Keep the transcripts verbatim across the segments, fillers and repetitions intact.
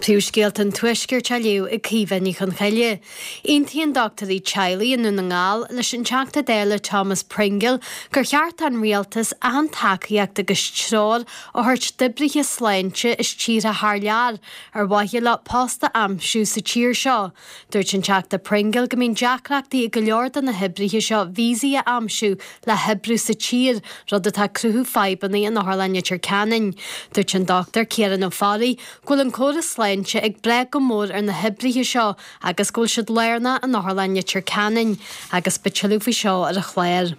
Príomhscéalta an Tuaiscirt á léamh ag Caoimhe Ní Chonchoille. Aontaíonn dochtúirí teaghlaigh i nDún na nGall leis an Teachta Dála Thomas Pringle gur cheart don rialtas achan tacaíocht agus treoir a thabhairt d'oibrithe sláinte as tíortha thar lear ar mhaithe leo post a aimsiú sa tír seo. Dúirt an Teachta Pringle go mbíonn deacrachtaí ag go leor de na hoibrithe seo víosaí a aimsiú le hoibriú sa tír, rud atá ag cruthú fadhbanna in Otharlann Leitir Ceanainn. Dúirt an Dochtúir Ciarán Ó Fearraigh go bhfuil an córas sláinte ag brath go mór ar na hoibrithe seo agus go bhfuil siad lárnach in Otharlann Leitir Ceanainn agus beidh tuilleadh faoi seo ar an chlár.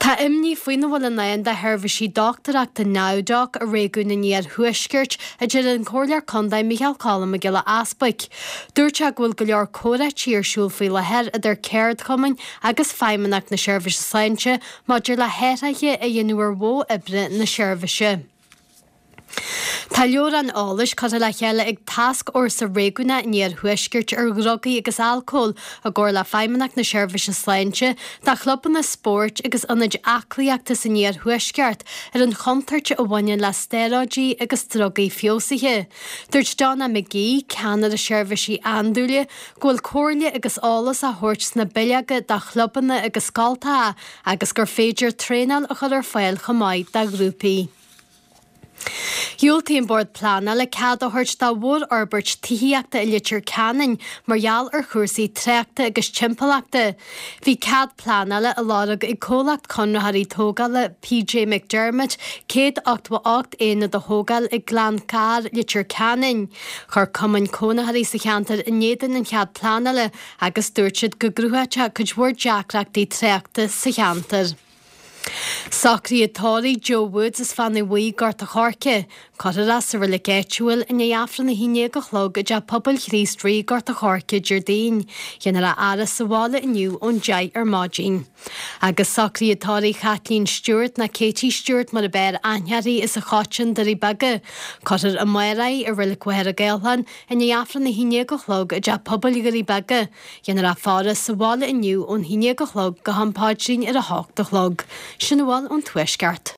Tá imní faoina bhfuil i ndán do sheirbhísí dochtúireachta NowDoc i réigiún an Iarthuaiscirt, a deir an Comhairleoir Contae Micheál Cholm Mac Giolla Easbuic. Dúirt sé go bhfuil go leor comhráití ar siúl faoi láthair idir ceardchumainn agus Feidhmeannacht na Seirbhíse Sláinte maidir le hathruithe a dhéanamh ar mhodh oibre na seirbhíse. Tá leabhrán eolais curtha le chéile ag Tascfhórsa Réigiúnach an Iarthuaiscirt ar Dhrugaí agus Alcól i gcomhar le Feidhmeannacht na Seirbhíse Sláinte do chlubanna spóirt agus ionaid aclaíochta san Iarthuaisceart ar an chontúirt a bhaineann le stéaróidí agus drugaí feabhsaithe. Dúirt Donna McGee, ceannaire seirbhísí andúile, go bhfuil comhairle agus eolas á thabhairt sna bileoga do chlubanna agus scoltacha agus gur féidir traenáil a chur ar fáil chomh maith do ghrúpaí. Dhiúltaigh an Bord Pleanála cead a thabhairt do mhórfhorbairt tithíochta i Leitir Ceanainn mar gheall ar chúrsaí tráchta agus timpeallachta. Bhí cead pleanála á lorg ag comhlacht conraitheoirí tógála PJ McDermott céad ochtó a hocht aonad a thógáil i nGleann Carr, Leitir Ceanainn. Chuir cumainn cónaitheoirí sa cheantar in éadan an chead pleanála agus dúirt siad go gcruthódh sé cuid mhór deacrachtaí tráchta sa cheantar. Socruithe tórraimh Joe Woods as Fánaidh Bhuí, Gort a' Choirce. Cuirfear é sa reilig áitiúil i ndiaidh Aifreann a haon déag a chlog i dTeach Pobail Chríost Rí, Gort a' Choirce, Déardaoin. Déanfar a fhaire sa bhaile inniu ón deich ar maidin. Agus socruithe tórraimh Chaitlín Stewart nó Katie Stewart mar ab fhearr aithne uirthi as an Choiteann, Doirí Beaga. Cuirfear amárach í i reilig Mhachaire Gathlán i ndiaidh Aifreann a haon déag a chlog i dTeach Pobail Dhoirí Beaga. Déanfar a faire sa bhaile inniu ón haon déag a chlog go ham paidrín ar a hocht a chlog. Sin a bhfuil ón Tuaisceart.